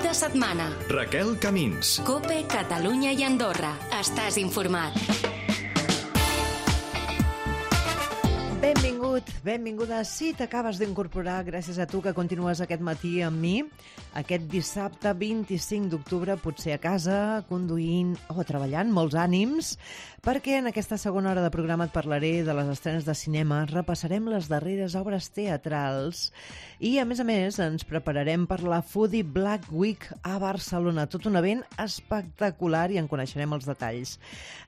Cap de setmana. Raquel Camins. COPE, Catalunya i Andorra. Estàs informat. Benvinguda. Si t'acabes d'incorporar, gràcies a tu que continues aquest matí amb mi, aquest dissabte 25 d'octubre, potser a casa, conduint o treballant, molts ànims, perquè en aquesta segona hora de programa et parlaré de les estrenes de cinema, repassarem les darreres obres teatrals i, a més, ens prepararem per la Foodie Black Week a Barcelona, tot un event espectacular i en coneixerem els detalls.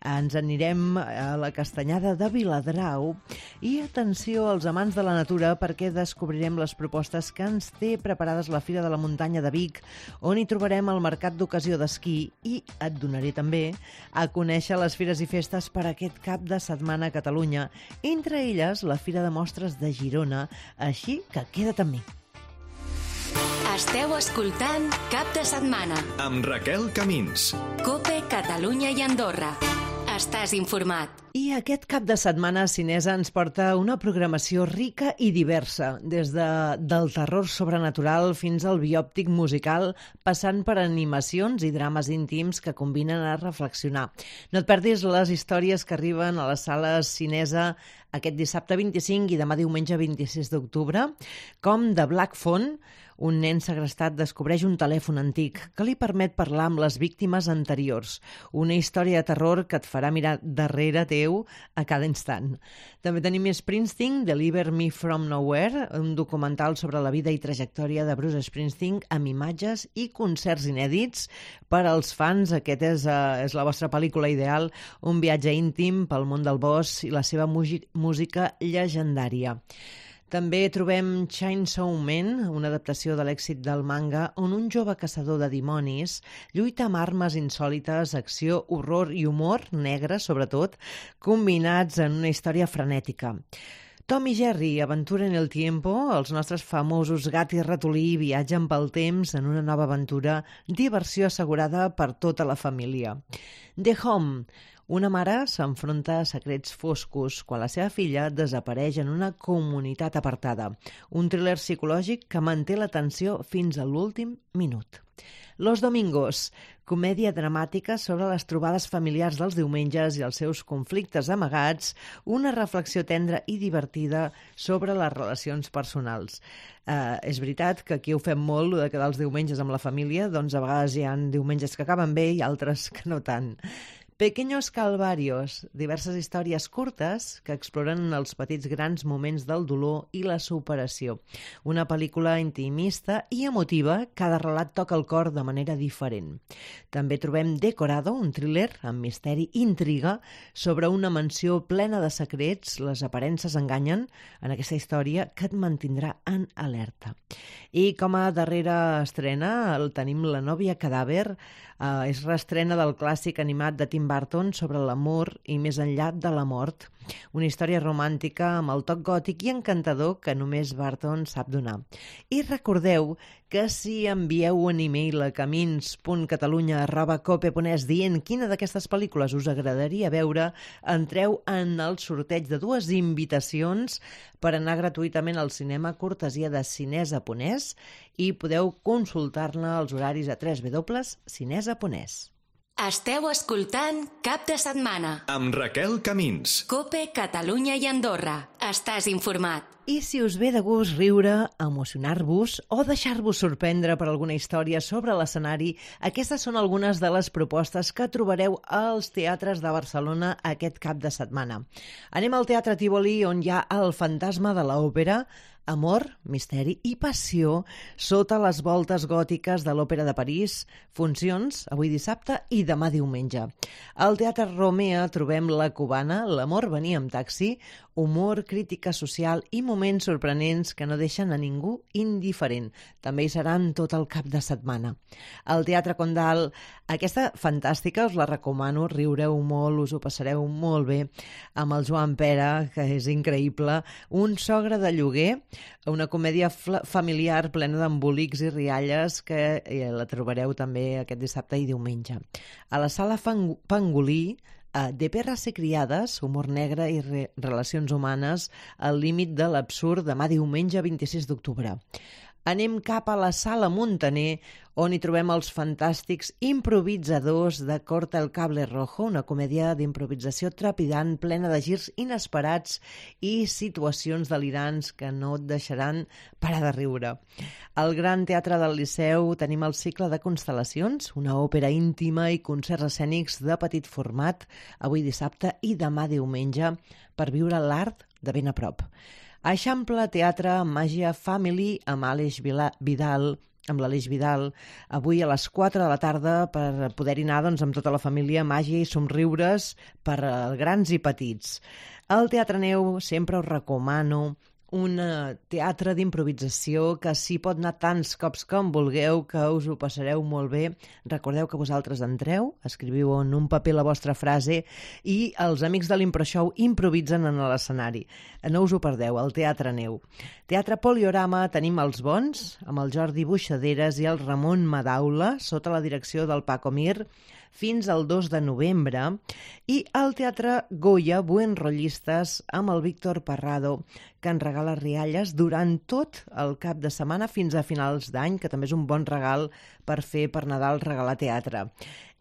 Ens anirem a la Castanyada de Viladrau i atenció als amants de la natura perquè descobrirem les propostes que ens té preparades la Fira de la Muntanya de Vic, on hi trobarem el mercat d'ocasió d'esquí i et donaré també a conèixer les fires i festes per aquest cap de setmana a Catalunya, entre elles la Fira de Mostres de Girona, així que queda't amb mi. Esteu escoltant Cap de setmana. Amb Raquel Camins. COPE, Catalunya i Andorra. Estàs informat. I aquest cap de setmana Cinesa ens porta una programació rica i diversa, des del terror sobrenatural fins al biòptic musical, passant per animacions i drames íntims que combinen a reflexionar. No et perdis les històries que arriben a les sales Cinesa aquest dissabte 25 i demà diumenge 26 d'octubre, com The Black Phone, un nen segrestat descobreix un telèfon antic que li permet parlar amb les víctimes anteriors. Una història de terror que et farà mirar darrere teu a cada instant. També tenim Springsteen, Deliver Me From Nowhere, un documental sobre la vida i trajectòria de Bruce Springsteen amb imatges i concerts inèdits. Per als fans, aquest és la vostra pel·lícula ideal, un viatge íntim pel món del bosc i la seva música llegendària. També trobem Chainsaw Man, una adaptació de l'èxit del manga, on un jove caçador de dimonis lluita amb armes insòlites, acció, horror i humor negre, sobretot, combinats en una història frenètica. Tom i Jerry, Aventura en el Tiempo, els nostres famosos gat i ratolí viatgen pel temps en una nova aventura, diversió assegurada per tota la família. The Home, una mare s'enfronta a secrets foscos quan la seva filla desapareix en una comunitat apartada. Un thriller psicològic que manté l'atenció fins a l'últim minut. Los Domingos, comèdia dramàtica sobre les trobades familiars dels diumenges i els seus conflictes amagats, una reflexió tendra i divertida sobre les relacions personals. És veritat que aquí ho fem molt, de quedar els diumenges amb la família, doncs a vegades hi ha diumenges que acaben bé i altres que no tant. Pequeños Calvarios, diverses històries curtes que exploren els petits grans moments del dolor i la superació. Una pel·lícula intimista i emotiva, cada relat toca el cor de manera diferent. També trobem Decorado, un thriller amb misteri i intriga sobre una mansió plena de secrets, les aparences enganyen, en aquesta història que et mantindrà en alerta. I com a darrera estrena tenim La nòvia cadàver, és reestrena del clàssic animat de Tim Burton sobre l'amor i més enllà de la mort. Una història romàntica amb el toc gòtic i encantador que només Burton sap donar. I recordeu que si envieu un e-mail a camins.catalunya@cope.es dient quina d'aquestes pel·lícules us agradaria veure, entreu en el sorteig de 2 invitacions per anar gratuïtament al cinema cortesia de Cinesa.es i podeu consultar-ne els horaris a www.cinesa.es. Esteu escoltant Cap de setmana. Amb Raquel Camins. COPE, Catalunya i Andorra. Estàs informat. I si us ve de gust riure, emocionar-vos o deixar-vos sorprendre per alguna història sobre l'escenari, aquestes són algunes de les propostes que trobareu als teatres de Barcelona aquest cap de setmana. Anem al Teatre Tívoli, on hi ha el fantasma de l'òpera, amor, misteri i passió sota les voltes gòtiques de l'Òpera de París, funcions avui dissabte i demà diumenge. Al Teatre Romea trobem La Cubana, l'amor venia amb taxi, humor, crítica social i moments sorprenents que no deixen a ningú indiferent. També hi seran tot el cap de setmana. Al Teatre Condal, aquesta fantàstica, us la recomano, riureu molt, us ho passareu molt bé, amb el Joan Pera, que és increïble, Un sogre de lloguer, una comèdia familiar plena d'embolics i rialles que la trobareu també aquest dissabte i diumenge. A la Sala Pangolí, de perres i criades, humor negre i relacions humanes al límit de l'absurd demà diumenge 26 d'octubre. anem cap a la Sala Muntaner, on hi trobem els fantàstics improvisadors de Corta el Cable Rojo, una comèdia d'improvisació trepidant, plena de girs inesperats i situacions delirants que no et deixaran parar de riure. Al Gran Teatre del Liceu tenim el cicle de Constel·lacions, una òpera íntima i concerts escènics de petit format, avui dissabte i demà diumenge, per viure l'art de ben a prop. Eixample Teatre Màgia Family amb l'Aleix Vidal, avui a les 4 de la tarda per poder-hi anar amb tota la família, màgia i somriures per grans i petits. El Teatre Neu sempre us recomano, un teatre d'improvisació que s'hi pot anar tants cops com vulgueu, que us ho passareu molt bé. Recordeu que vosaltres entreu, escriviu en un paper la vostra frase i els amics de l'ImproShow improvisen en l'escenari. No us ho perdeu, el Teatre Neu. Teatre Poliorama tenim els bons, amb el Jordi Buixaderes i el Ramon Madaula, sota la direcció del Paco Mir, fins al 2 de novembre, i al Teatre Goya Buenrollistes amb el Víctor Parrado, que ens regala rialles durant tot el cap de setmana fins a finals d'any, que també és un bon regal per fer per Nadal, regalar teatre.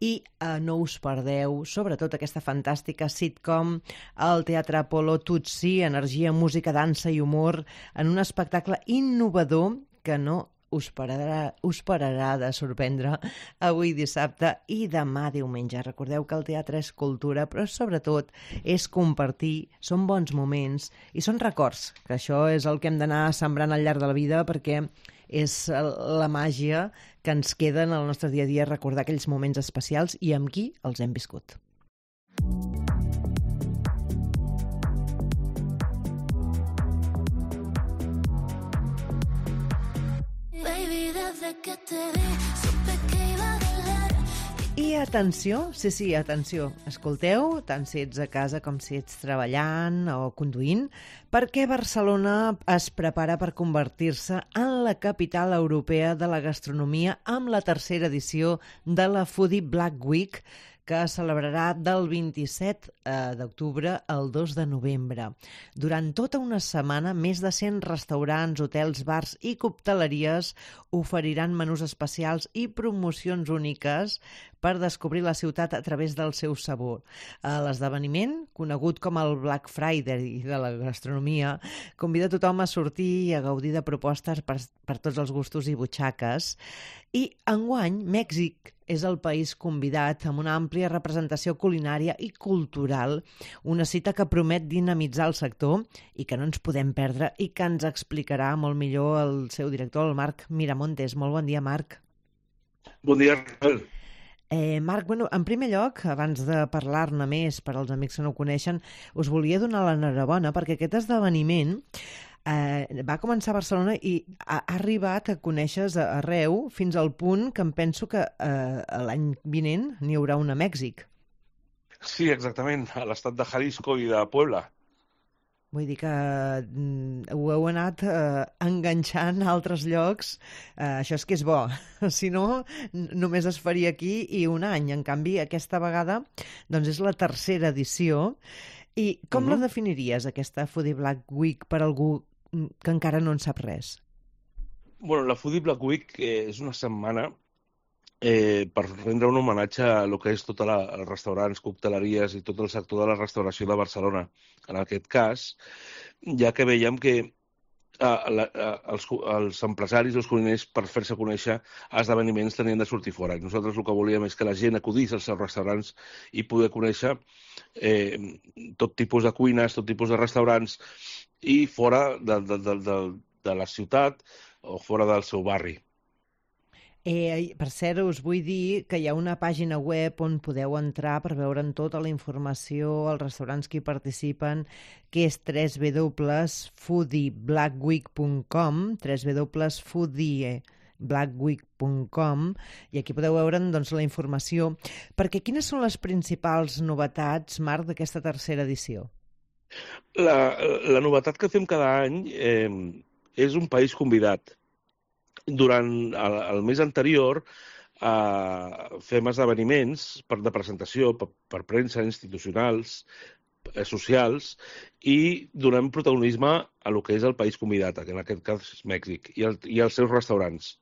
I no us perdeu, sobretot aquesta fantàstica sitcom, el Teatre Apolo Tutsi, energia, música, dansa i humor, en un espectacle innovador que no us pararà de sorprendre avui dissabte i demà diumenge. Recordeu que el teatre és cultura, però sobretot és compartir, són bons moments i són records, que això és el que hem d'anar sembrant al llarg de la vida, perquè és la màgia que ens queda en el nostre dia a dia, recordar aquells moments especials i amb qui els hem viscut. I atenció, sí, atenció, escolteu, tant si ets a casa com si ets treballant o conduint, perquè Barcelona es prepara per convertir-se en la capital europea de la gastronomia amb la tercera edició de la Foodie Black Week, que celebrarà del 27 d'octubre al 2 de novembre. Durant tota una setmana, més de 100 restaurants, hotels, bars i cocteleries oferiran menús especials i promocions úniques per descobrir la ciutat a través del seu sabor. L'esdeveniment, conegut com el Black Friday de la gastronomia, convida tothom a sortir i a gaudir de propostes per tots els gustos i butxaques. I enguany, Mèxic és el país convidat amb una àmplia representació culinària i cultural, una cita que promet dinamitzar el sector i que no ens podem perdre i que ens explicarà molt millor el seu director, el Marc Miramontes. Molt bon dia, Marc. Bon dia, Rafael. Marc, en primer lloc, abans de parlar-ne més per als amics que no ho coneixen, us volia donar l'enhorabona perquè aquest esdeveniment va començar a Barcelona i ha arribat a conèixer arreu fins al punt que em penso que l'any vinent n'hi haurà un a Mèxic. Sí, exactament, a l'estat de Jalisco i de Puebla. Vull dir que ho heu anat enganxant a altres llocs. Això és que és bo. Si no, només es faria aquí i un any. En canvi, aquesta vegada doncs és la tercera edició. I com la definiries, aquesta Foodie Black Week, per algú que encara no en sap res? Bueno, la Foodie Black Week és una setmana per rendre un homenatge a el que és tots els restaurants, cocteleries i tot el sector de la restauració de Barcelona. En aquest cas, ja que veiem que els empresaris, els cuiners, per fer-se conèixer a esdeveniments tenien de sortir fora. I nosaltres el que volíem és que la gent acudís als seus restaurants i poder conèixer tot tipus de cuines, tot tipus de restaurants i fora de la ciutat o fora del seu barri. Per cert, us vull dir que hi ha una pàgina web on podeu entrar per veure'n tota la informació, els restaurants que hi participen, que és www.foodieblackweek.com, www.foodieblackweek.com, i aquí podeu veure'n la informació. Perquè quines són les principals novetats, Marc, d'aquesta tercera edició? La novetat que fem cada any és un país convidat. Durant el mes anterior fem esdeveniments de presentació per premsa institucionals socials i donem protagonisme a lo que és el país convidat, que en aquest cas és Mèxic, i els seus restaurants.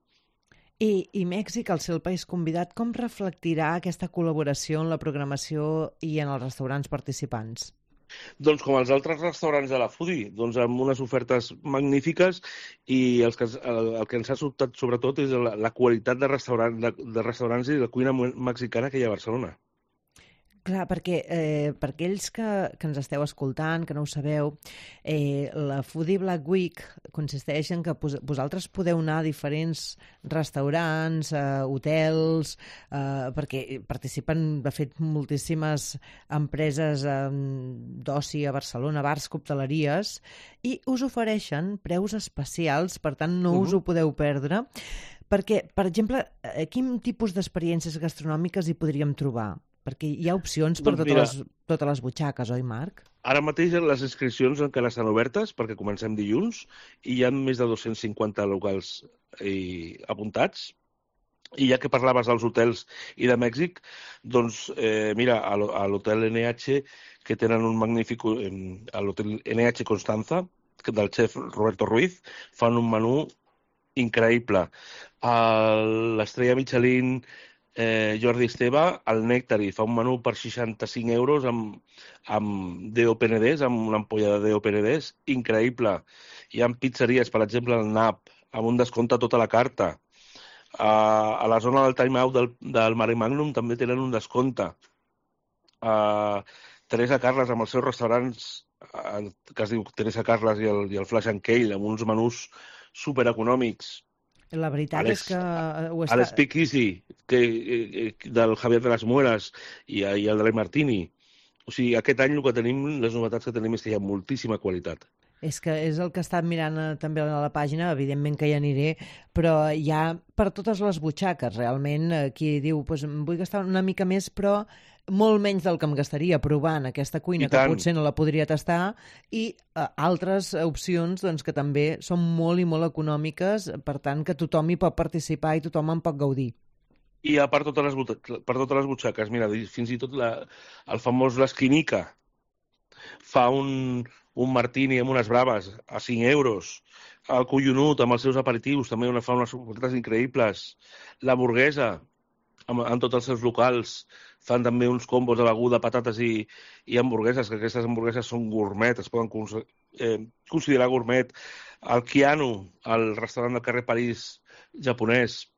I Mèxic, al ser el país convidat, com reflectirà aquesta col·laboració en la programació i en els restaurants participants? Doncs com els altres restaurants de la Foodie, doncs amb unes ofertes magnífiques i el que ens ha sobtat sobretot és la qualitat de restaurants i de cuina mexicana que hi ha a Barcelona. Clar, perquè per aquells que ens esteu escoltant, que no ho sabeu, la Foodie Black Week consisteix en que vosaltres podeu anar a diferents restaurants, hotels, perquè participen, de fet, moltíssimes empreses d'oci a Barcelona, bars, cocteleries, i us ofereixen preus especials, per tant no us ho podeu perdre, perquè, per exemple, quin tipus d'experiències gastronòmiques hi podríem trobar? Perquè hi ha opcions per totes les butxaques, oi, Marc? Ara mateix les inscripcions encara estan obertes perquè comencem dilluns i hi ha més de 250 locals apuntats. I ja que parlaves dels hotels i de Mèxic, doncs mira, a l'hotel NH, que tenen un magnífic... a l'hotel NH Constanza, del xef Roberto Ruiz, fan un menú increïble. L'estrella Michelin... Jordi Esteve, el Nectari, fa un menú per 65 euros amb DOPNDs, amb una ampolla de DOPNDs, increïble. Hi ha pizzeries, per exemple, el NAP, amb un descompte a tota la carta. A la zona del Time Out del Mare Magnum també tenen un descompte. Teresa Carles, amb els seus restaurants, que es diu Teresa Carles i el Flash and Kale, amb uns menús supereconòmics. La veritat és que... A l'Speakeasy, del Javier de las Muelas i el de la Martini. O sigui, aquest any el que tenim, les novetats que tenim és que hi ha moltíssima qualitat. És que és el que he estat mirant també a la pàgina, evidentment que hi aniré, però hi ha per totes les butxaques, realment. Qui diu, doncs, vull gastar una mica més, però molt menys del que em gastaria provant aquesta cuina, que potser no la podria tastar, i altres opcions doncs, que també són molt i molt econòmiques, per tant que tothom hi pot participar i tothom en pot gaudir. I per totes les butxaques, mira, fins i tot el famós l'Esquinica fa un martini amb unes braves a 5 euros. El Collonut amb els seus aperitius també fa unes ofertes increïbles. La en tots els seus locals fan també uns combos de beguda, patates i hamburgueses, que aquestes hamburgueses són gourmet, es poden considerar gourmet. El Kiano, el restaurant del carrer París japonès,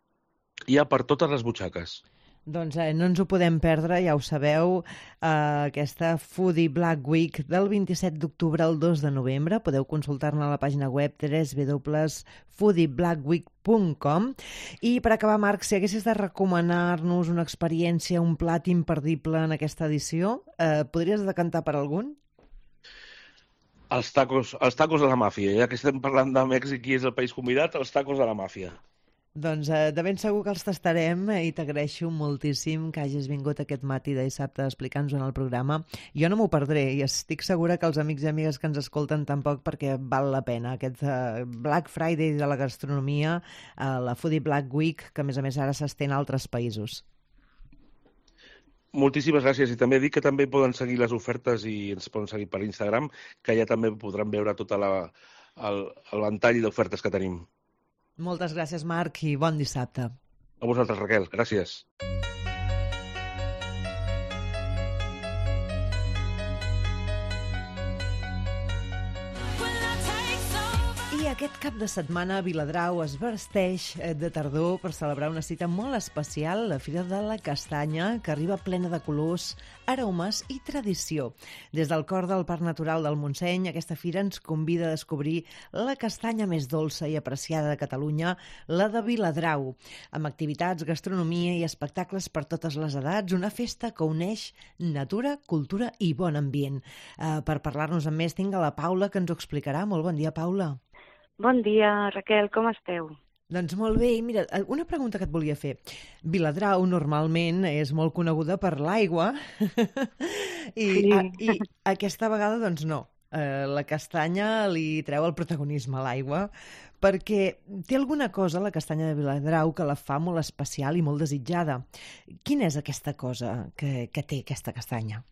hi ha per totes les butxaques. Doncs no ens ho podem perdre, ja ho sabeu, aquesta Foodie Black Week del 27 d'octubre al 2 de novembre. Podeu consultar-ne a la pàgina web www.foodieblackweek.com. I per acabar, Marc, si haguessis de recomanar-nos una experiència, un plat imperdible en aquesta edició, podries decantar per algun? Els tacos de la màfia. Ja que estem parlant de Mèxic i és el país convidat, els tacos de la màfia. Doncs de ben segur que els tastarem i t'agraeixo moltíssim que hagis vingut aquest matí de dissabte a explicar-nos en el programa. Jo no m'ho perdré i estic segura que els amics i amigues que ens escolten tampoc, perquè val la pena. Aquest Black Friday de la gastronomia, la Foodie Black Week, que a més ara s'estén a altres països. Moltíssimes gràcies. I també dic que també poden seguir les ofertes i ens poden seguir per Instagram, que ja també podran veure tot el ventall d'ofertes que tenim. Moltes gràcies, Marc, i bon dissabte. A vosaltres, Raquel. Gràcies. I aquest cap de setmana a Viladrau es vesteix de tardor per celebrar una cita molt especial, la Fira de la Castanya, que arriba plena de colors, aromes i tradició. Des del cor del Parc Natural del Montseny, aquesta fira ens convida a descobrir la castanya més dolça i apreciada de Catalunya, la de Viladrau, amb activitats, gastronomia i espectacles per totes les edats, una festa que uneix natura, cultura i bon ambient. Per parlar-nos amb més tinc a la Paula, que ens ho explicarà. Molt bon dia, Paula. Bon dia, Raquel, com esteu? Doncs molt bé. I mira, una pregunta que et volia fer. Viladrau normalment és molt coneguda per l'aigua i aquesta vegada doncs no. La castanya li treu el protagonisme a l'aigua perquè té alguna cosa, la castanya de Viladrau, que la fa molt especial i molt desitjada. Quina és aquesta cosa que té aquesta castanya?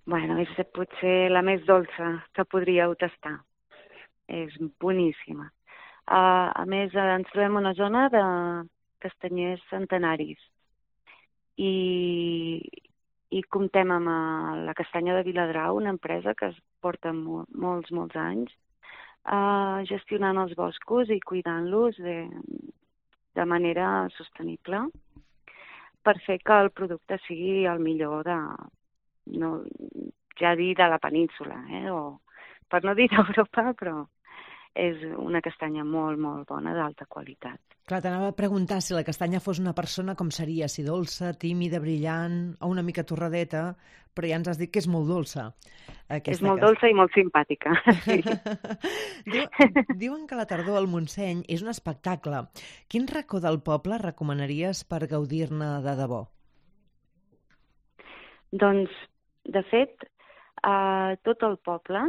Bueno, és potser la més dolça que podríeu tastar. És boníssima. A més, ens trobem una zona de castanyers centenaris i comptem amb la Castanya de Viladrau, una empresa que es porta molts anys gestionant els boscos i cuidant-los de manera sostenible per fer que el producte sigui el millor ja dir de la península, o per no dir d'Europa, però és una castanya molt bona, d'alta qualitat. Clar, t'anava a preguntar si la castanya fos una persona, com seria? Si dolça, tímida, brillant o una mica torradeta, però ja ens has dit que és molt dolça. És molt dolça i molt simpàtica. Sí. Diuen que la tardor al Montseny és un espectacle. Quin racó del poble recomanaries per gaudir-ne de debò? Doncs, de fet, tot el poble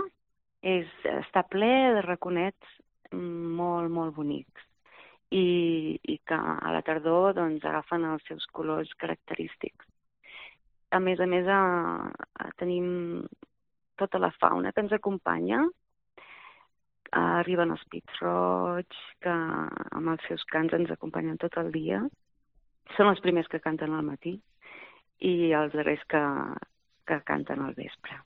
està ple de raconets molt bonics i que a la tardor doncs, agafen els seus colors característics. A més, tenim tota la fauna que ens acompanya. Arriben els pit-roigs, que amb els seus cants ens acompanyen tot el dia. Són els primers que canten al matí i els darrers que canten al vespre.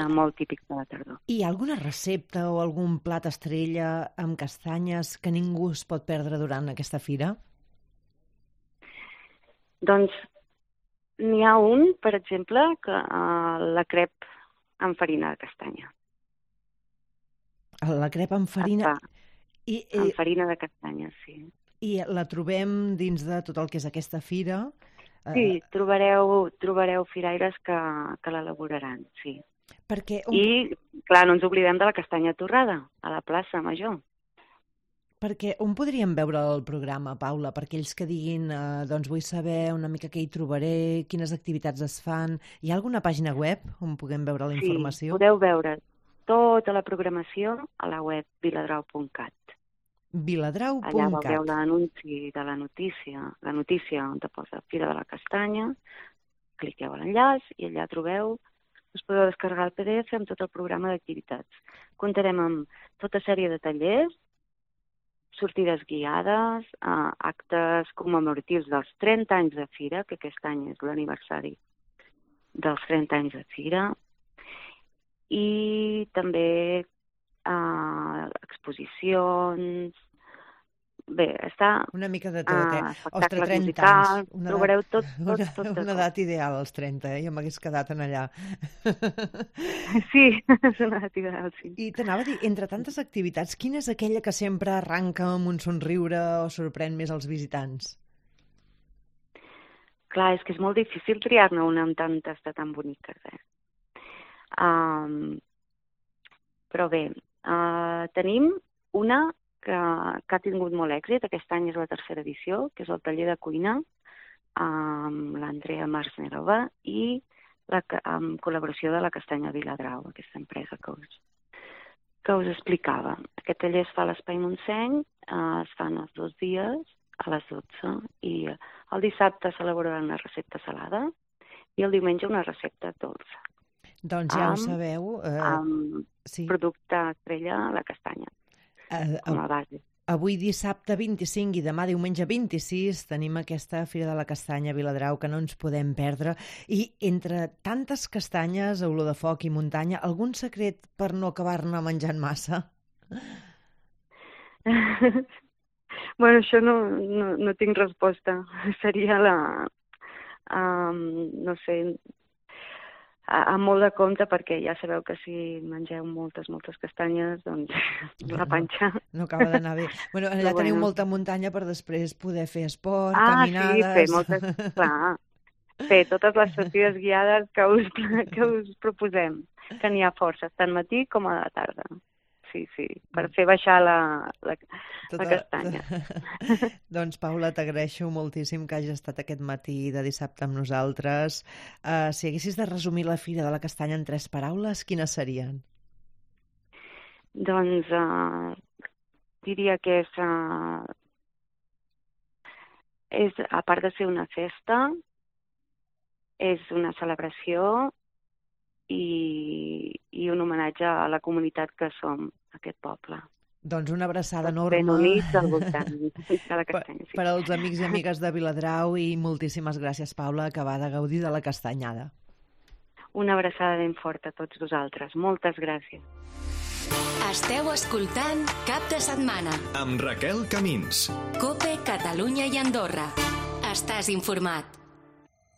Molt típic de la tardor. Hi ha alguna recepta o algun plat estrella amb castanyes que ningú es pot perdre durant aquesta fira? Doncs n'hi ha un, per exemple, que la crep amb farina de castanya. La crep amb farina? Amb farina de castanya, sí. I la trobem dins de tot el que és aquesta fira? Sí, trobareu firaires que l'elaboraran, sí. I, clar, no ens oblidem de la castanya torrada, a la plaça Major. Perquè on podríem veure el programa, Paula? Per aquells que diguin, doncs vull saber una mica què hi trobaré, quines activitats es fan. Hi ha alguna pàgina web on puguem veure la informació? Sí, podeu veure tota la programació a la web viladrau.cat. Viladrau.cat. Allà veureu l'anunci de la notícia on te posa Fira de la Castanya, cliqueu a l'enllaç i allà trobeu, us podeu descarregar el PDF amb tot el programa d'activitats. Comptarem amb tota sèrie de tallers, sortides guiades, actes commemoratius dels 30 anys de Fira, que aquest any és l'aniversari dels 30 anys de Fira, i també exposicions. Bé, està... Una mica de tot, Ostres, 30 anys. Trobareu tot. Una edat ideal, els 30, Jo m'hagués quedat en allà. Sí, és una edat ideal, sí. I t'anava a dir, entre tantes activitats, quina és aquella que sempre arranca amb un somriure o sorprèn més als visitants? Clar, és que és molt difícil triar-ne una amb tantes de tan boniques, Però bé, tenim una que ha tingut molt èxit. Aquest any és la tercera edició, que és el taller de cuina amb l'Andrea Marsnerova i amb col·laboració de la Castanya Viladrau, aquesta empresa que us explicava. Aquest taller es fa a l'Espai Montseny, es fan els 2 dies a les 12 i el dissabte s'elabora una recepta salada i el diumenge una recepta dolça. Doncs ja ho sabeu. Amb producte estrella a la castanya. Com a base. Avui dissabte 25 i demà diumenge 26 tenim aquesta Fira de la Castanya a Viladrau que no ens podem perdre. I entre tantes castanyes, olor de foc i muntanya, algun secret per no acabar-ne menjant massa? Bueno, això no tinc resposta. Seria no sé, amb molt de compte, perquè ja sabeu que si mengeu moltes castanyes, doncs la panxa... No acaba d'anar bé. Bueno, allà teniu molta muntanya per després poder fer esport, caminades... Sí, fer moltes... Clar, fer totes les sortides guiades que us proposem, que n'hi ha força, tant al matí com a la tarda. Sí, per fer baixar la castanya. Doncs, Paula, t'agraeixo moltíssim que hagis estat aquest matí de dissabte amb nosaltres. Si haguessis de resumir la Fira de la Castanya en 3 paraules, quines serien? Doncs diria que és, a part de ser una festa, és una celebració i un homenatge a la comunitat que som, aquest poble. Doncs una abraçada enorme. Ben units al voltant de la castanya. Per als amics i amigues de Viladrau, i moltíssimes gràcies, Paula, acabar de gaudir de la castanyada. Una abraçada ben forta a tots vosaltres. Moltes gràcies. Esteu escoltant Cap de Setmana amb Raquel Camins. COPE, Catalunya i Andorra. Estàs informat.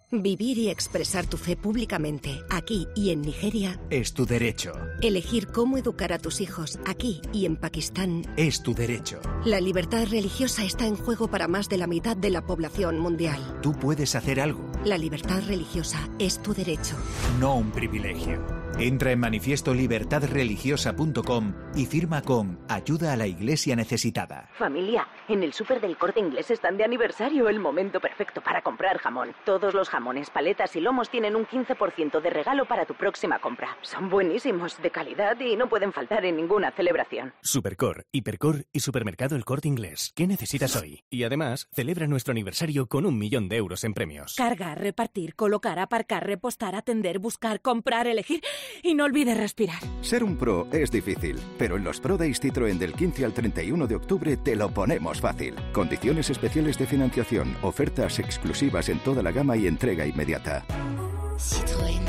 Vivir y expresar tu fe públicamente, aquí y en Nigeria, es tu derecho. Elegir cómo educar a tus hijos, aquí y en Pakistán, es tu derecho. La libertad religiosa está en juego para más de la mitad de la población mundial. Tú puedes hacer algo. La libertad religiosa es tu derecho. No un privilegio. Entra en manifiestolibertadreligiosa.com y firma con Ayuda a la Iglesia Necesitada. Familia, en el súper del Corte Inglés están de aniversario, el momento perfecto para comprar jamón. Todos los jamones, paletas y lomos tienen un 15% de regalo para tu próxima compra. Son buenísimos, de calidad y no pueden faltar en ninguna celebración. Supercor, Hipercor y Supermercado El Corte Inglés. ¿Qué necesitas hoy? Y además, celebra nuestro aniversario con 1 millón de euros en premios. Cargar, repartir, colocar, aparcar, repostar, atender, buscar, comprar, elegir... Y no olvides respirar. Ser un pro es difícil, pero en los Pro Days Citroën del 15 al 31 de octubre te lo ponemos fácil. Condiciones especiales de financiación, ofertas exclusivas en toda la gama y entrega inmediata. Citroën.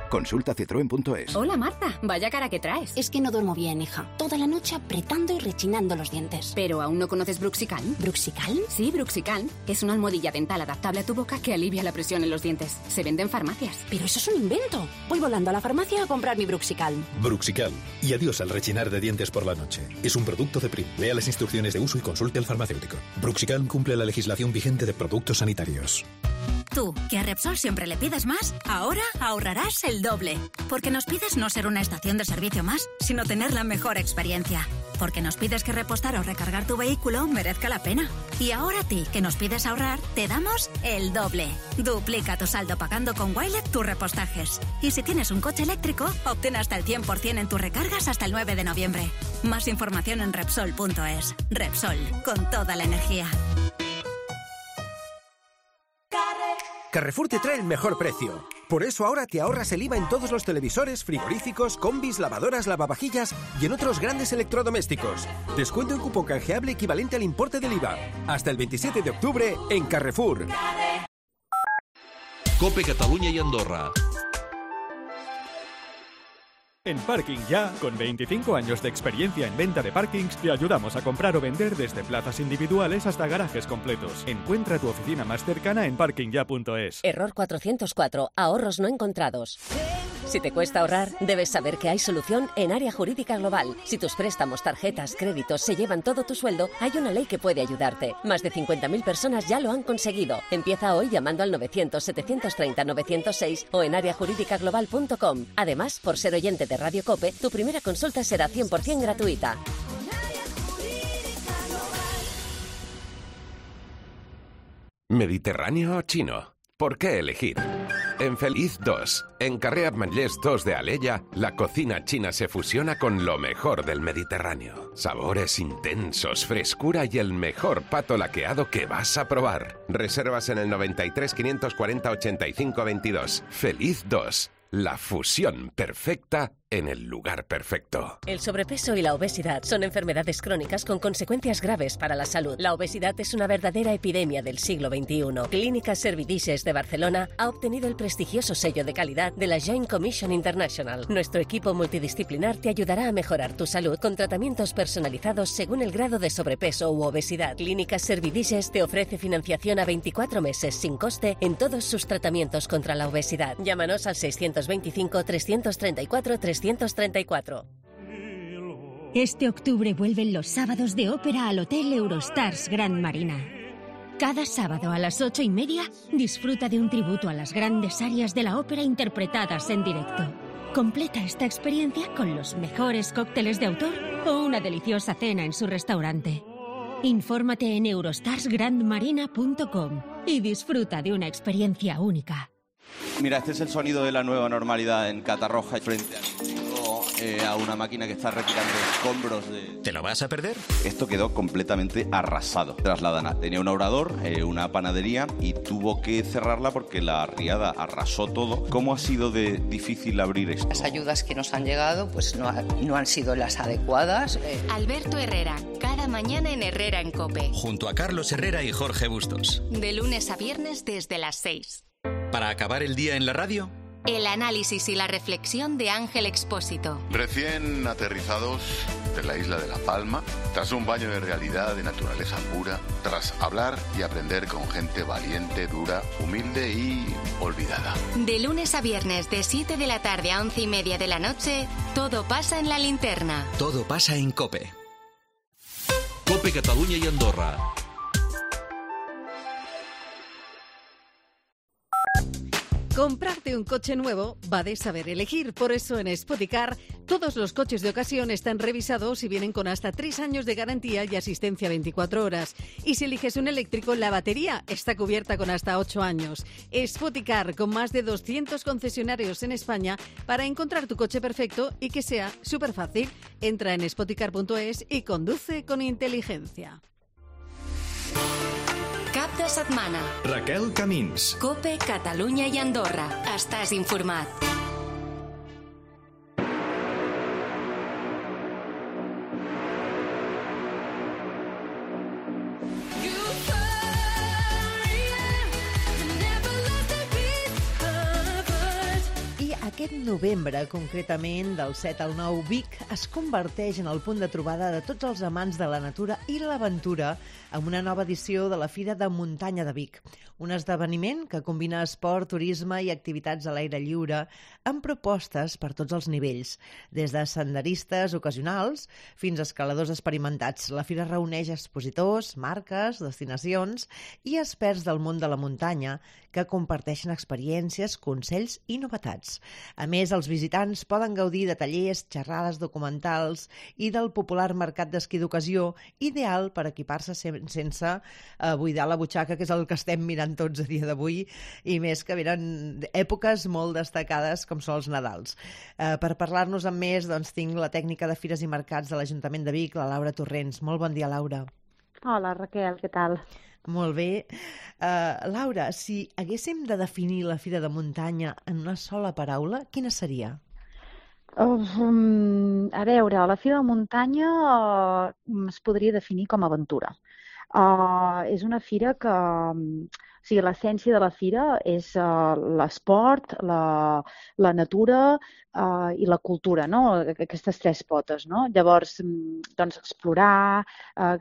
Consulta citroen.es. Hola Marta, vaya cara que traes. Es que no duermo bien, hija. Toda la noche apretando y rechinando los dientes. ¿Pero aún no conoces Bruxicalm? ¿Bruxicalm? Sí, Bruxicalm. Es una almohadilla dental adaptable a tu boca que alivia la presión en los dientes. Se vende en farmacias. Pero eso es un invento. Voy volando a la farmacia a comprar mi Bruxicalm. Bruxicalm. Y adiós al rechinar de dientes por la noche. Es un producto de Prim. Lea las instrucciones de uso y consulte al farmacéutico. Bruxicalm cumple la legislación vigente de productos sanitarios. Tú, que a Repsol siempre le pides más, ahora ahorrarás el doble. Porque nos pides no ser una estación de servicio más, sino tener la mejor experiencia. Porque nos pides que repostar o recargar tu vehículo merezca la pena. Y ahora a ti, que nos pides ahorrar, te damos el doble. Duplica tu saldo pagando con Wilet tus repostajes. Y si tienes un coche eléctrico, obtén hasta el 100% en tus recargas hasta el 9 de noviembre. Más información en Repsol.es. Repsol, con toda la energía. Carrefour te trae el mejor precio. Por eso ahora te ahorras el IVA en todos los televisores, frigoríficos, combis, lavadoras, lavavajillas y en otros grandes electrodomésticos. Descuento en cupón canjeable equivalente al importe del IVA. Hasta el 27 de octubre en Carrefour. COPE Catalunya y Andorra. En Parking Ya, con 25 años de experiencia en venta de parkings, te ayudamos a comprar o vender desde plazas individuales hasta garajes completos. Encuentra tu oficina más cercana en parkingya.es. Error 404. Ahorros no encontrados. Si te cuesta ahorrar, debes saber que hay solución en Área Jurídica Global. Si tus préstamos, tarjetas, créditos se llevan todo tu sueldo, hay una ley que puede ayudarte. Más de 50.000 personas ya lo han conseguido. Empieza hoy llamando al 900-730-906 o en areajurídicaglobal.com. Además, por ser oyente de Radio COPE, tu primera consulta será 100% gratuita. ¿Mediterráneo o chino? ¿Por qué elegir? En Feliz 2, en Carrer Ametllers 2 de Alella, la cocina china se fusiona con lo mejor del Mediterráneo. Sabores intensos, frescura y el mejor pato laqueado que vas a probar. Reservas en el 93 540 85 22. Feliz 2, la fusión perfecta en el lugar perfecto. El sobrepeso y la obesidad son enfermedades crónicas con consecuencias graves para la salud. La obesidad es una verdadera epidemia del siglo XXI. Clínica Servidices de Barcelona ha obtenido el prestigioso sello de calidad de la Joint Commission International. Nuestro equipo multidisciplinar te ayudará a mejorar tu salud con tratamientos personalizados según el grado de sobrepeso u obesidad. Clínica Servidices te ofrece financiación a 24 meses sin coste en todos sus tratamientos contra la obesidad. Llámanos al 625 334 334. Este octubre vuelven los sábados de ópera al Hotel Eurostars Grand Marina. Cada sábado a las 8:30 disfruta de un tributo a las grandes arias de la ópera interpretadas en directo. Completa esta experiencia con los mejores cócteles de autor o una deliciosa cena en su restaurante. Infórmate en eurostarsgrandmarina.com y disfruta de una experiencia única. Mira, este es el sonido de la nueva normalidad en Catarroja frente al chico a una máquina que está retirando escombros de... ¿Te lo vas a perder? Esto quedó completamente arrasado. Tenía un obrador, una panadería y tuvo que cerrarla porque la riada arrasó todo. ¿Cómo ha sido de difícil abrir esto? Las ayudas que nos han llegado pues no han sido las adecuadas. Alberto Herrera, cada mañana en Herrera en COPE. Junto a Carlos Herrera y Jorge Bustos. De lunes a viernes desde las 6. ¿Para acabar el día en la radio? El análisis y la reflexión de Ángel Expósito. Recién aterrizados de la isla de La Palma, tras un baño de realidad, de naturaleza pura, tras hablar y aprender con gente valiente, dura, humilde y olvidada. De lunes a viernes de 7 de la tarde a 11:30 de la noche, todo pasa en la linterna. Todo pasa en COPE. COPE Catalunya y Andorra. Comprarte un coche nuevo va de saber elegir. Por eso en Spoticar todos los coches de ocasión están revisados y vienen con hasta 3 años de garantía y asistencia 24 horas. Y si eliges un eléctrico, la batería está cubierta con hasta 8 años. Spoticar, con más de 200 concesionarios en España para encontrar tu coche perfecto y que sea súper fácil. Entra en spoticar.es y conduce con inteligencia. Cap de setmana. Raquel Camins. COPE, Catalunya i Andorra. Estàs informat. Aquest novembre, concretament, del 7 al 9, Vic es converteix en el punt de trobada de tots els amants de la natura i l'aventura amb una nova edició de la Fira de Muntanya de Vic, un esdeveniment que combina esport, turisme i activitats a l'aire lliure amb propostes per tots els nivells, des de senderistes ocasionals fins a escaladors experimentats. La Fira reuneix expositors, marques, destinacions i experts del món de la muntanya que comparteixen experiències, consells i novetats. A més, els visitants poden gaudir de tallers, xerrades documentals i del popular mercat d'esquí d'ocasió, ideal per equipar-se sense buidar la butxaca, que és el que estem mirant tots a dia d'avui, i més que venen èpoques molt destacades com són els Nadals. Per parlar-nos amb més, doncs, tinc la tècnica de Fires i Mercats de l'Ajuntament de Vic, la Laura Torrents. Molt bon dia, Laura. Hola, Raquel, què tal? Molt bé. Laura, si haguéssim de definir la Fira de Muntanya en una sola paraula, quina seria? A veure, la Fira de Muntanya es podria definir com a aventura. És una fira que... O sigui, l'essència de la fira és l'esport, la natura i la cultura, no? Aquestes 3 potes, no? Llavors, doncs, explorar,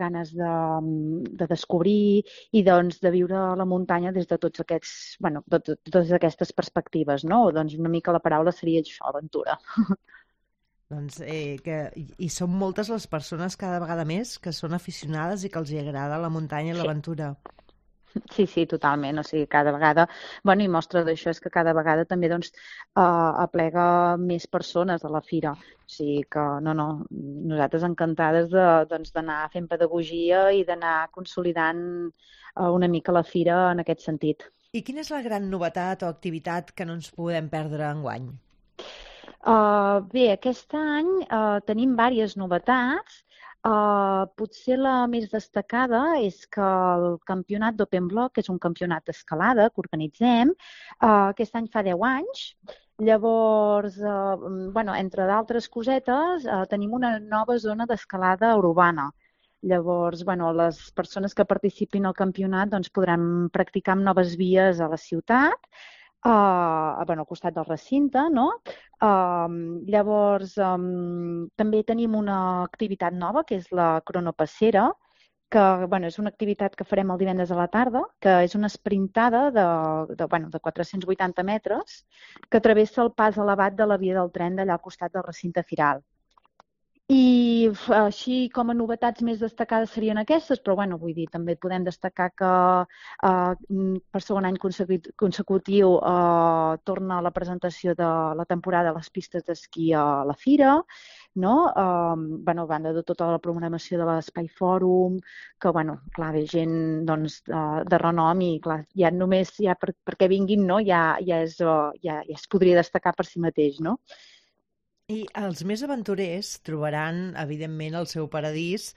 ganes de descobrir i, doncs, de viure la muntanya des de tots aquests, bueno, totes aquestes perspectives, no? Doncs una mica la paraula seria això, aventura. Doncs i són moltes les persones cada vegada més que són aficionades i que els agrada la muntanya i l'aventura. Sí, totalment. O sigui, cada vegada... Bueno, i mostra d'això és que cada vegada també doncs, aplega més persones a la fira. O sigui que, nosaltres encantades d'anar fent pedagogia i d'anar consolidant una mica la fira en aquest sentit. I quina és la gran novetat o activitat que no ens podem perdre enguany? Bé, aquest any tenim diverses novetats. Potser la més destacada és que el campionat d'Open Block, que és un campionat d'escalada que organitzem, aquest any fa 10 anys. Llavors, entre d'altres cosetes, tenim una nova zona d'escalada urbana. Llavors, les persones que participin al campionat podran practicar amb noves vies a la ciutat, al costat del recinte, no? Llavors, també tenim una activitat nova, que és la cronopassera, que és una activitat que farem el divendres a la tarda, que és una sprintada de 480 metres, que travessa el pas elevat de la via del tren d'allà al costat del recinte firal. I així com a novetats més destacades serien aquestes, però també podem destacar que per segon any consecutiu torna la presentació de la temporada de les pistes d'esquí a la fira, no? A banda de tota la programació de l'Espai Fòrum, que ve gent de renom i ja només perquè vinguin ja es podria destacar per si mateix, no? I els més aventurers trobaran, evidentment, el seu paradís,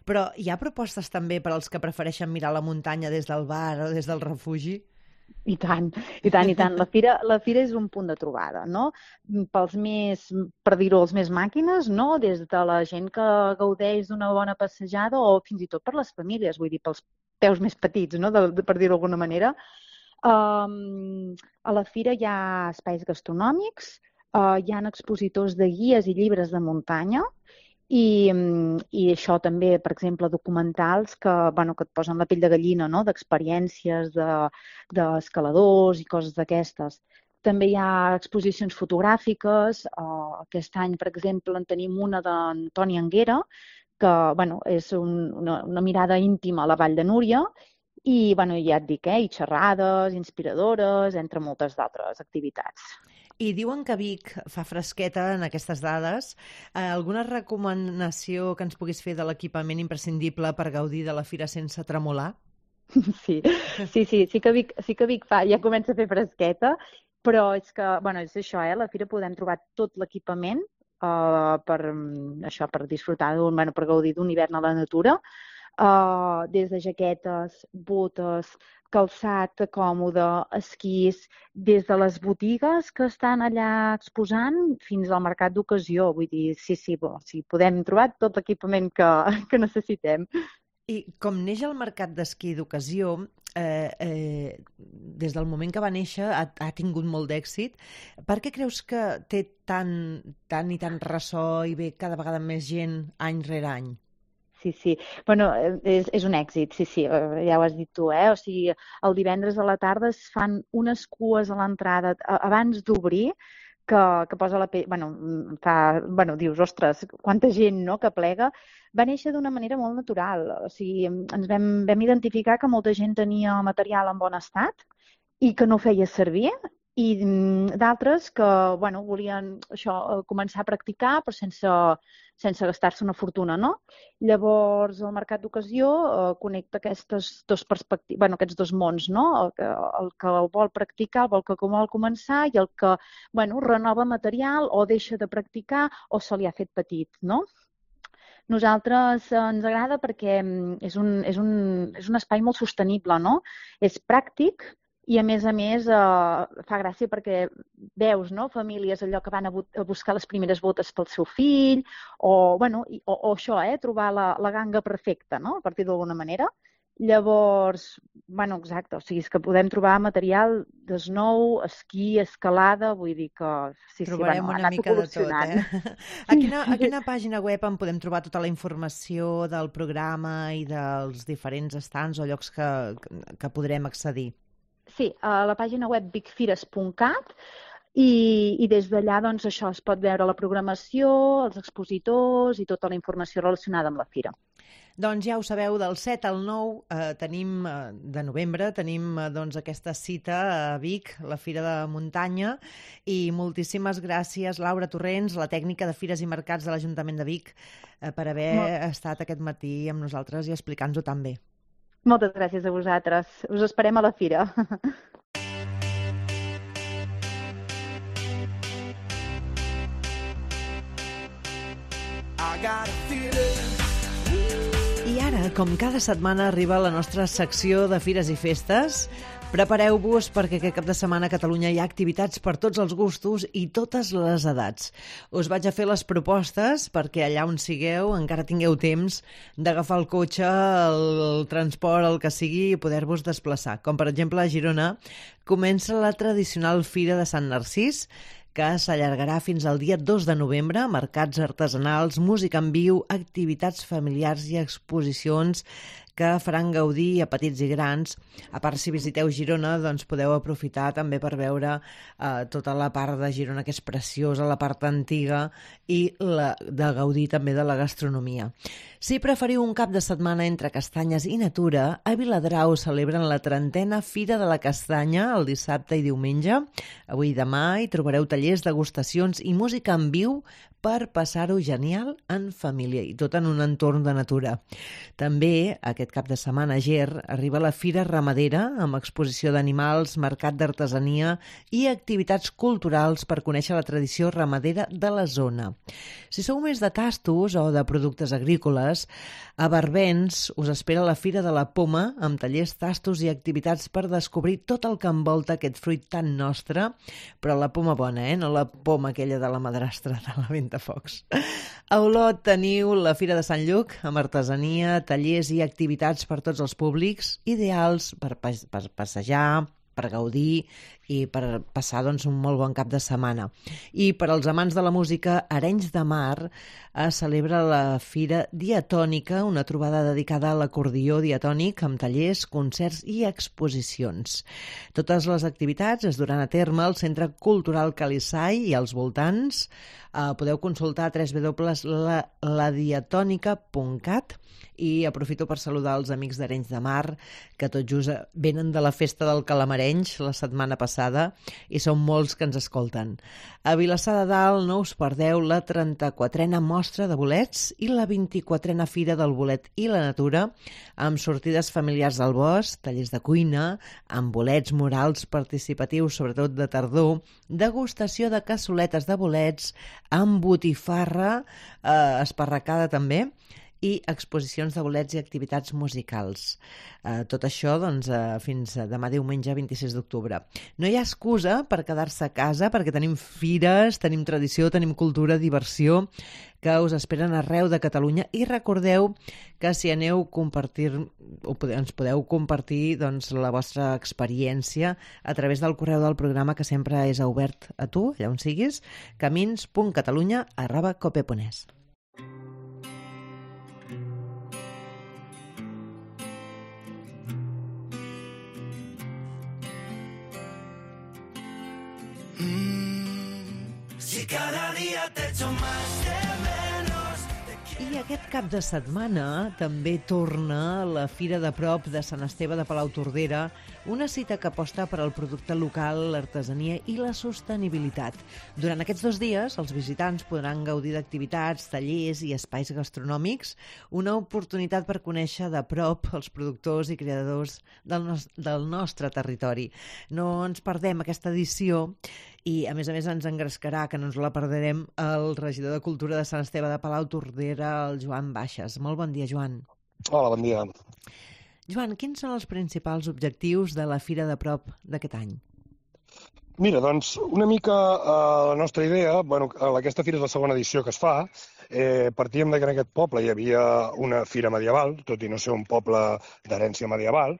però hi ha propostes també per als que prefereixen mirar la muntanya des del bar o des del refugi? I tant, i tant, i tant. La fira és un punt de trobada, no? Pels més, per dir-ho, els més màquines, no? Des de la gent que gaudeix d'una bona passejada o fins i tot per les famílies, vull dir, pels peus més petits, no? Per dir-ho d'alguna manera. A la fira hi ha espais gastronòmics, hi ha expositors de guies i llibres de muntanya i això també, per exemple, documentals que et posen la pell de gallina, no? D'experiències d'escaladors i coses d'aquestes. També hi ha exposicions fotogràfiques. Aquest any, per exemple, en tenim una d'Antoni Anguera, que és una mirada íntima a la Vall de Núria i ja et dic, i xerrades inspiradores, entre moltes d'altres activitats. I diuen que Vic fa fresqueta en aquestes dades. Alguna recomanació que ens puguis fer de l'equipament imprescindible per gaudir de la fira sense tremolar? Sí que Vic ja comença a fer fresqueta, però és que, és això, la fira podem trobar tot l'equipament per disfrutar, per gaudir d'un hivern a la natura, des de jaquetes, botes, calçat còmode, esquís, des de les botigues que estan allà exposant fins al mercat d'ocasió. Vull dir, sí, podem trobar tot l'equipament que necessitem. I com neix el mercat d'esquí d'ocasió, des del moment que va néixer ha tingut molt d'èxit. Per què creus que té tant ressò i ve cada vegada més gent any rere any? Sí. És un èxit, sí, ja ho has dit tu, O sigui, el divendres a la tarda es fan unes cues a l'entrada abans d'obrir que posa la pell... dius, ostres, quanta gent, no?, que plega. Va néixer d'una manera molt natural. O sigui, ens vam identificar que molta gent tenia material en bon estat i que no feia servir, i d'altres que volien començar a practicar però sense gastar-se una fortuna, no? Llavors el mercat d'ocasió connecta aquestes dues perspectives, aquests dos mons, no? El que vol practicar, el que vol començar i el que renova material o deixa de practicar o se li ha fet petit, no? Nosaltres ens agrada perquè és un espai molt sostenible, no? És pràctic. I, a més, fa gràcia perquè veus, no?, famílies allò que van a buscar les primeres botes pel seu fill o això, trobar la ganga perfecta, no?, a partir d'alguna manera. Llavors, exacte, o sigui, és que podem trobar material d'snow, esquí, escalada, vull dir que trobarem una mica de tot, A quina pàgina web en podem trobar tota la informació del programa i dels diferents stands o llocs que podrem accedir? Sí, a la pàgina web vicfires.cat i des d'allà això es pot veure la programació, els expositors i tota la informació relacionada amb la fira. Doncs ja ho sabeu, del 7 al 9 de novembre tenim aquesta cita a Vic, la Fira de Muntanya, i moltíssimes gràcies, Laura Torrents, la tècnica de Fires i Mercats de l'Ajuntament de Vic, per haver estat aquest matí amb nosaltres i explicar-nos-ho tan bé. Moltes gràcies a vosaltres. Us esperem a la fira. I ara, com cada setmana, arriba la nostra secció de Fires i Festes. Prepareu-vos perquè aquest cap de setmana a Catalunya hi ha activitats per tots els gustos i totes les edats. Us vaig a fer les propostes perquè allà on sigueu encara tingueu temps d'agafar el cotxe, el transport, el que sigui, i poder-vos desplaçar. Com per exemple a Girona comença la tradicional Fira de Sant Narcís, que s'allargarà fins al dia 2 de novembre, mercats artesanals, música en viu, activitats familiars i exposicions que faran gaudir a petits i grans. A part, si visiteu Girona, doncs podeu aprofitar també per veure tota la part de Girona, que és preciosa, la part antiga, i de gaudir també de la gastronomia. Si preferiu un cap de setmana entre castanyes i natura, a Viladrau celebren la 30a Fira de la Castanya el dissabte i diumenge. Avui i demà hi trobareu tallers, degustacions i música en viu per passar-ho genial en família i tot en un entorn de natura. També, aquest cap de setmana a Ger, arriba la Fira Ramadera amb exposició d'animals, mercat d'artesania i activitats culturals per conèixer la tradició ramadera de la zona. Si sou més de tastos o de productes agrícoles, a Barbens us espera la Fira de la Poma amb tallers, tastos i activitats per descobrir tot el que envolta aquest fruit tan nostre, però la poma bona, no la poma aquella de la madrastra de la Ventafocs. A Olot teniu la Fira de Sant Lluc amb artesania, tallers i activitats per tots els públics, ideals per passejar, per gaudir i per passar un molt bon cap de setmana. I per als amants de la música, Arenys de Mar celebra la Fira Diatònica, una trobada dedicada a l'acordió diatònic amb tallers, concerts i exposicions. Totes les activitats es duran a terme al Centre Cultural Calissai i als voltants. Podeu consultar www.ladiatònica.cat i aprofito per saludar els amics d'Arenys de Mar, que tot just venen de la festa del Calamarenys la setmana passada i són molts que ens escolten. A Vilassar de Dalt no us perdeu la 34a mostra de bolets i la 24a Fira del Bolet i la Natura, amb sortides familiars al bosc, tallers de cuina, amb bolets murals participatius, sobretot de tardor, degustació de cassoletes de bolets, amb botifarra esparracada també, i exposicions de bolets i activitats musicals. Tot això fins demà diumenge 26 d'octubre. No hi ha excusa per quedar-se a casa perquè tenim fires, tenim tradició, tenim cultura, diversió, que us esperen arreu de Catalunya, i recordeu que si aneu ens podeu compartir la vostra experiència a través del correu del programa, que sempre és obert a tu, allà on siguis, camins.catalunya@cope.es. Si cada día te echo más de menos. I aquest cap de setmana també torna la Fira de Prop de Sant Esteve de Palautordera, una cita que aposta per al producte local, l'artesania i la sostenibilitat. Durant aquests 2 dies, els visitants podran gaudir d'activitats, tallers i espais gastronòmics, una oportunitat per conèixer de prop els productors i creadors del nostre territori. No ens perdem aquesta edició i, a més, ens engrescarà, que no ens la perdrem, el regidor de Cultura de Sant Esteve de Palautordera, el Joan Baixes. Molt bon dia, Joan. Hola, bon dia. Joan, quins són els principals objectius de la Fira de Prop d'aquest any? Mira, doncs, una mica la nostra idea, aquesta fira és la segona edició que es fa, partíem que en aquest poble hi havia una fira medieval, tot i no ser un poble d'herència medieval.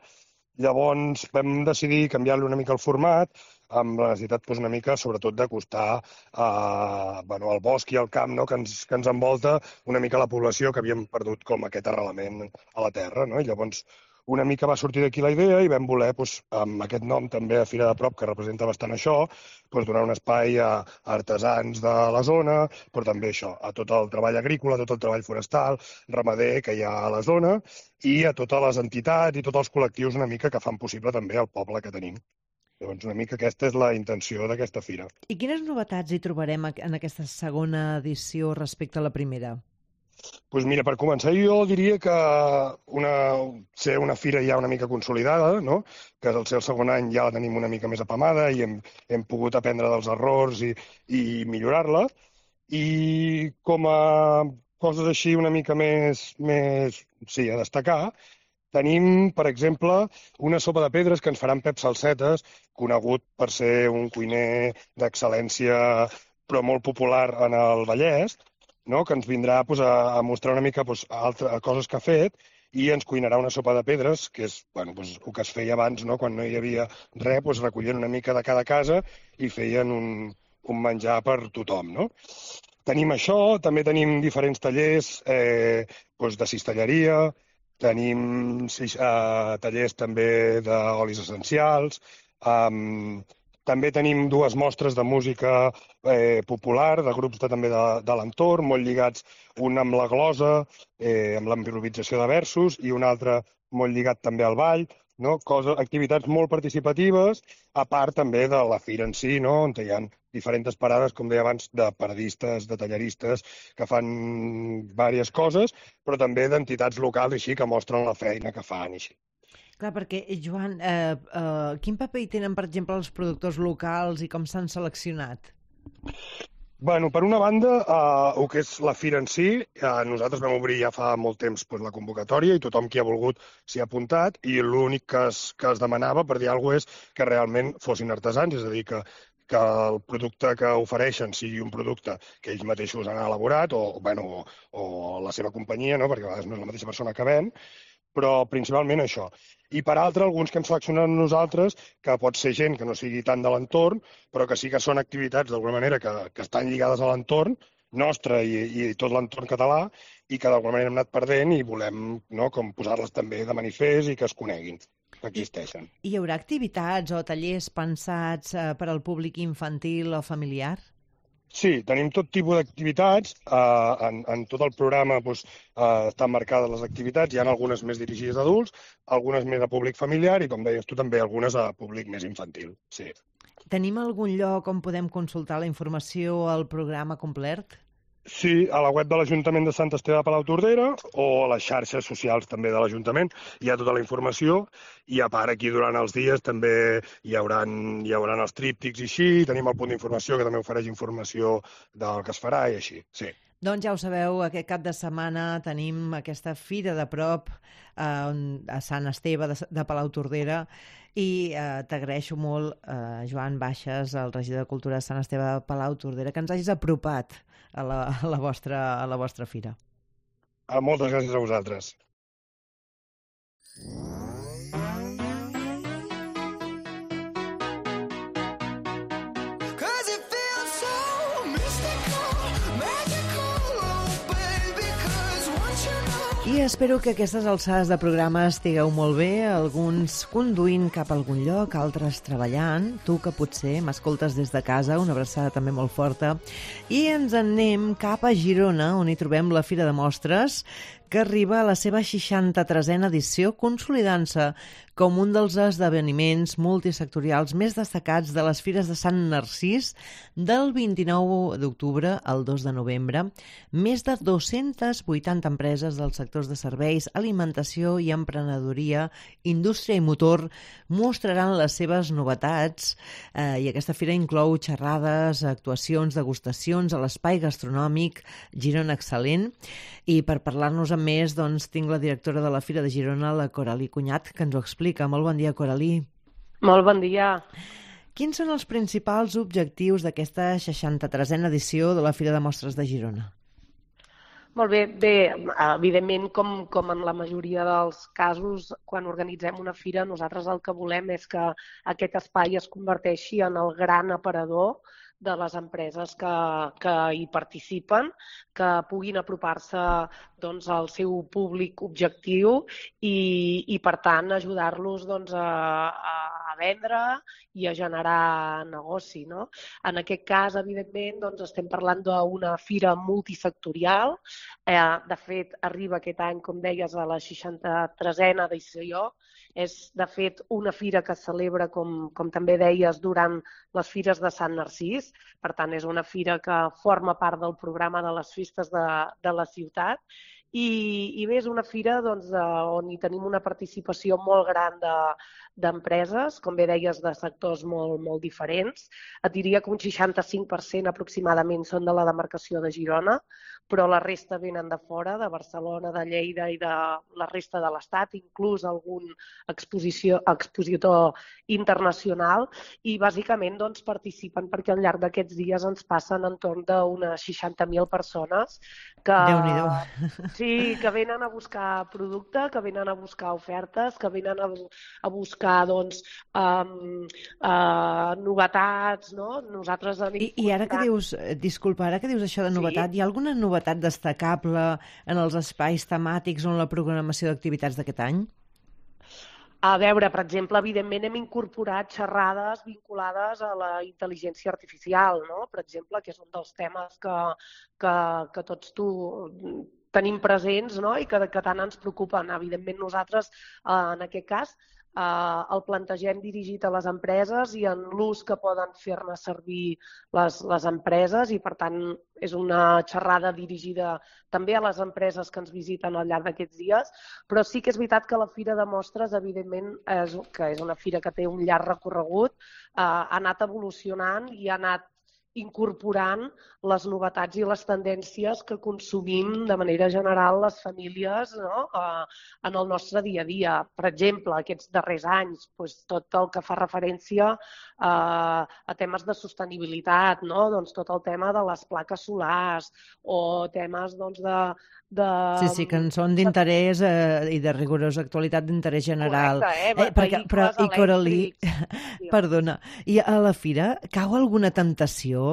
Llavors vam decidir canviar-li una mica el format, amb la necessitat una mica, sobretot, d'acostar al bosc i al camp, que ens envolta una mica la població, que havíem perdut com aquest arrelament a la terra. I llavors una mica va sortir d'aquí la idea i vam voler, amb aquest nom també a Fira de Prop, que representa bastant això, donar un espai a artesans de la zona, però també això, a tot el treball agrícola, a tot el treball forestal, ramader que hi ha a la zona, i a totes les entitats i tots els col·lectius una mica que fan possible també el poble que tenim. Llavors, una mica aquesta és la intenció d'aquesta fira. I quines novetats hi trobarem en aquesta segona edició respecte a la primera? Doncs mira, per començar jo diria que ser una fira ja una mica consolidada, que al ser el segon any ja la tenim una mica més apamada i hem pogut aprendre dels errors i millorar-la. I com a coses així una mica més a destacar, tenim, per exemple, una sopa de pedres que ens faran Pep Salsetes, conegut per ser un cuiner d'excel·lència però molt popular en el Vallès, que ens vindrà a mostrar una mica coses que ha fet i ens cuinarà una sopa de pedres, que és el que es feia abans, quan no hi havia res, recollien una mica de cada casa i feien un menjar per tothom. Tenim això, també tenim diferents tallers de cistelleria, tenim tallers també d'olis essencials, també tenim 2 mostres de música popular, de grups també de l'entorn, molt lligats, un amb la glosa, amb l'improvisació de versos, i un altre molt lligat també al ball, no? Activitats molt participatives, a part també de la fira en si, no? On hi ha diferents parades, com deia abans, de paradistes, de tallaristes, que fan diverses coses, però també d'entitats locals així que mostren la feina que fan i així. Clar, perquè, Joan, quin paper hi tenen, per exemple, els productors locals i com s'han seleccionat? Bueno, per una banda, el que és la fira en si, nosaltres vam obrir ja fa molt temps la convocatòria i tothom qui ha volgut s'hi ha apuntat i l'únic que es demanava, per dir alguna cosa, és que realment fossin artesans, és a dir, que el producte que ofereixen sigui un producte que ells mateixos han elaborat o la seva companyia, no? Perquè a vegades no és la mateixa persona que ven, però principalment això. I per altra, alguns que hem seleccionat nosaltres, que pot ser gent que no sigui tant de l'entorn, però que sí que són activitats d'alguna manera que estan lligades a l'entorn nostre i tot l'entorn català i que d'alguna manera hem anat perdent i volem com posar-les també de manifest i que es coneguin, que existeixen. Hi haurà activitats o tallers pensats per al públic infantil o familiar? Sí, tenim tot tipus d'activitats. En tot el programa estan marcades les activitats. Hi ha algunes més dirigides a adults, algunes més a públic familiar i, com deies tu, també algunes a públic més infantil. Sí. Tenim algun lloc on podem consultar la informació al programa complet? Sí, a la web de l'Ajuntament de Sant Esteve de Palautordera o a les xarxes socials també de l'Ajuntament hi ha tota la informació i a part aquí durant els dies també hi hauran els tríptics i així, tenim el punt d'informació que també ofereix informació del que es farà i així, sí. Doncs ja ho sabeu, aquest cap de setmana tenim aquesta fira de prop a Sant Esteve de Palautordera i t'agraeixo molt, Joan Baixes, el regidor de Cultura de Sant Esteve de Palautordera, que ens hagis apropat a la vostra fira. Moltes gràcies a vosaltres. I espero que aquestes alçades de programa estigueu molt bé, alguns conduint cap a algun lloc, altres treballant, tu que potser m'escoltes des de casa, una abraçada també molt forta, i ens en anem cap a Girona, on hi trobem la Fira de Mostres, que arriba a la seva 63a edició, consolidant-se com un dels esdeveniments multisectorials més destacats de les Fires de Sant Narcís del 29 d'octubre al 2 de novembre. Més de 280 empreses dels sectors de serveis, alimentació i emprenedoria, indústria i motor mostraran les seves novetats i aquesta fira inclou xerrades, actuacions, degustacions a l'espai gastronòmic Girona Excel·lent. I per parlar-nos amb més, doncs, tinc la directora de la Fira de Girona, la Coralí Cunyat, que ens ho explica. Molt bon dia, Coralí. Molt bon dia. Quins són els principals objectius d'aquesta 63a edició de la Fira de Mostres de Girona? Molt bé, evidentment, com en la majoria dels casos, quan organitzem una fira, nosaltres el que volem és que aquest espai es converteixi en el gran aparador de les empreses que hi participen, que puguin apropar-se al seu públic objectiu i per tant, ajudar-los a vendre i a generar negoci. No? En aquest cas, evidentment, estem parlant d'una fira multisectorial. De fet, arriba aquest any, com deies, a la 63a edició. És, de fet, una fira que es celebra, com també deies, durant les Fires de Sant Narcís. Per tant, és una fira que forma part del programa de les festes de la ciutat. I bé, és una fira on hi tenim una participació molt gran d'empreses, com bé deies, de sectors molt diferents. Et diria que un 65% aproximadament són de la demarcació de Girona, però la resta venen de fora, de Barcelona, de Lleida i de la resta de l'Estat, inclús algun expositor internacional, i bàsicament participen perquè al llarg d'aquests dies ens passen entorn d'unes 60.000 persones que venen a buscar producte, que venen a buscar ofertes, que venen a buscar novetats, no? Nosaltres I ara que dius, disculpa, ara que dius això de novetat, hi ha alguna novetat destacable en els espais temàtics o en la programació d'activitats d'aquest any? A veure, per exemple, evidentment hem incorporat xerrades vinculades a la intel·ligència artificial, no? Per exemple, que és un dels temes que tots tenim presents, no? I que tant ens preocupen. Evidentment, nosaltres, en aquest cas, el plantegem dirigit a les empreses i en l'ús que poden fer-ne servir les empreses i, per tant, és una xerrada dirigida també a les empreses que ens visiten al llarg d'aquests dies, però sí que és veritat que la Fira de Mostres, evidentment, que és una fira que té un llarg recorregut, ha anat evolucionant i ha anat incorporant les novetats i les tendències que consumim de manera general les famílies, no? En el nostre dia a dia. Per exemple, aquests darrers anys, tot el que fa referència a temes de sostenibilitat, no? Doncs tot el tema de les plaques solars o temes Sí, que en són d'interès i de rigorosa actualitat d'interès general. Correcte, I Coral·lí, perdona, i a la fira cau alguna temptació,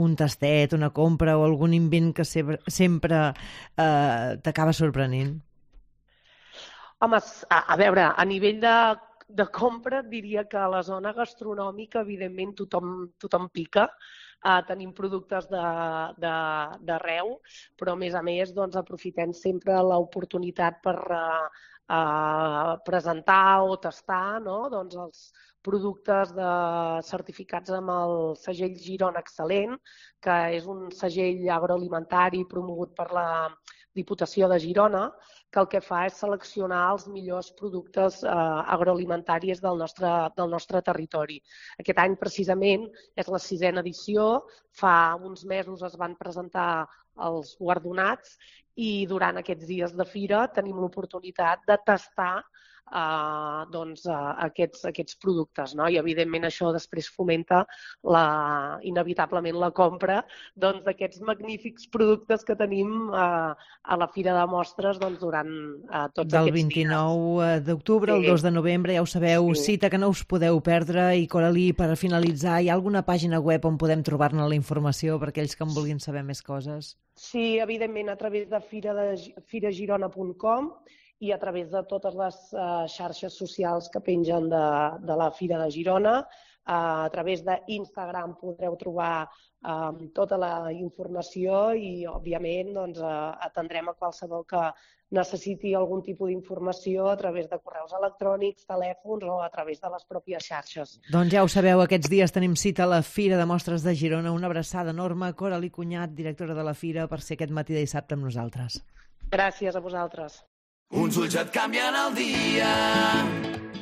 un tastet, una compra o algun invent que sempre t'acaba sorprenent? Home, a veure, a nivell de compra diria que a la zona gastronòmica evidentment tothom pica. Tenim productes d'arreu, però a més doncs, aprofitem sempre l'oportunitat per presentar o tastar, no? Doncs els productes certificats amb el segell Girona Excel·lent, que és un segell agroalimentari promogut per la Diputació de Girona, que el que fa és seleccionar els millors productes agroalimentaris del nostre territori. Aquest any, precisament, és la 6a edició. Fa uns mesos es van presentar els guardonats i durant aquests dies de fira tenim l'oportunitat de tastar aquests productes, no? I evidentment això després fomenta inevitablement la compra d'aquests magnífics productes que tenim a la Fira de Mostres durant tots aquests dies. Del 29 d'octubre al 2 de novembre, ja ho sabeu, cita que no us podeu perdre. I Coral·lí, per finalitzar, hi ha alguna pàgina web on podem trobar-ne la informació per aquells que en vulguin saber més coses? Sí, evidentment, a través de firagirona.com i a través de totes les xarxes socials que pengen de la Fira de Girona. A través d'Instagram podreu trobar tota la informació i, òbviament, atendrem a qualsevol que necessiti algun tipus d'informació a través de correus electrònics, telèfons o a través de les pròpies xarxes. Doncs ja ho sabeu, aquests dies tenim cita a la Fira de Mostres de Girona. Una abraçada enorme. Coral·lí Cunyat, directora de la Fira, per ser aquest matí de dissabte amb nosaltres. Gràcies a vosaltres. Uns ulls et canvien el dia.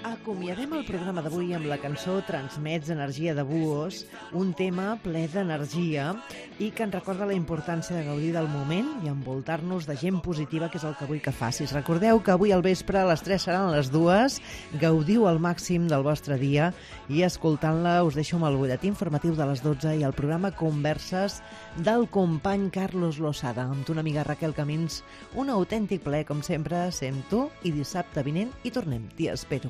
Acomiadem el programa d'avui amb la cançó Transmets energia de Buhos, un tema ple d'energia i que ens recorda la importància de gaudir del moment i envoltar-nos de gent positiva, que és el que vull que facis. Recordeu que avui al vespre a les 3 seran les 2, gaudiu al màxim del vostre dia i escoltant-la us deixo amb el butlletí informatiu de les 12 i el programa Converses del company Carlos Losada. Amb tu, una amiga Raquel Camins, un autèntic plaer, com sempre, sent tu, i dissabte vinent hi tornem. T'hi espero.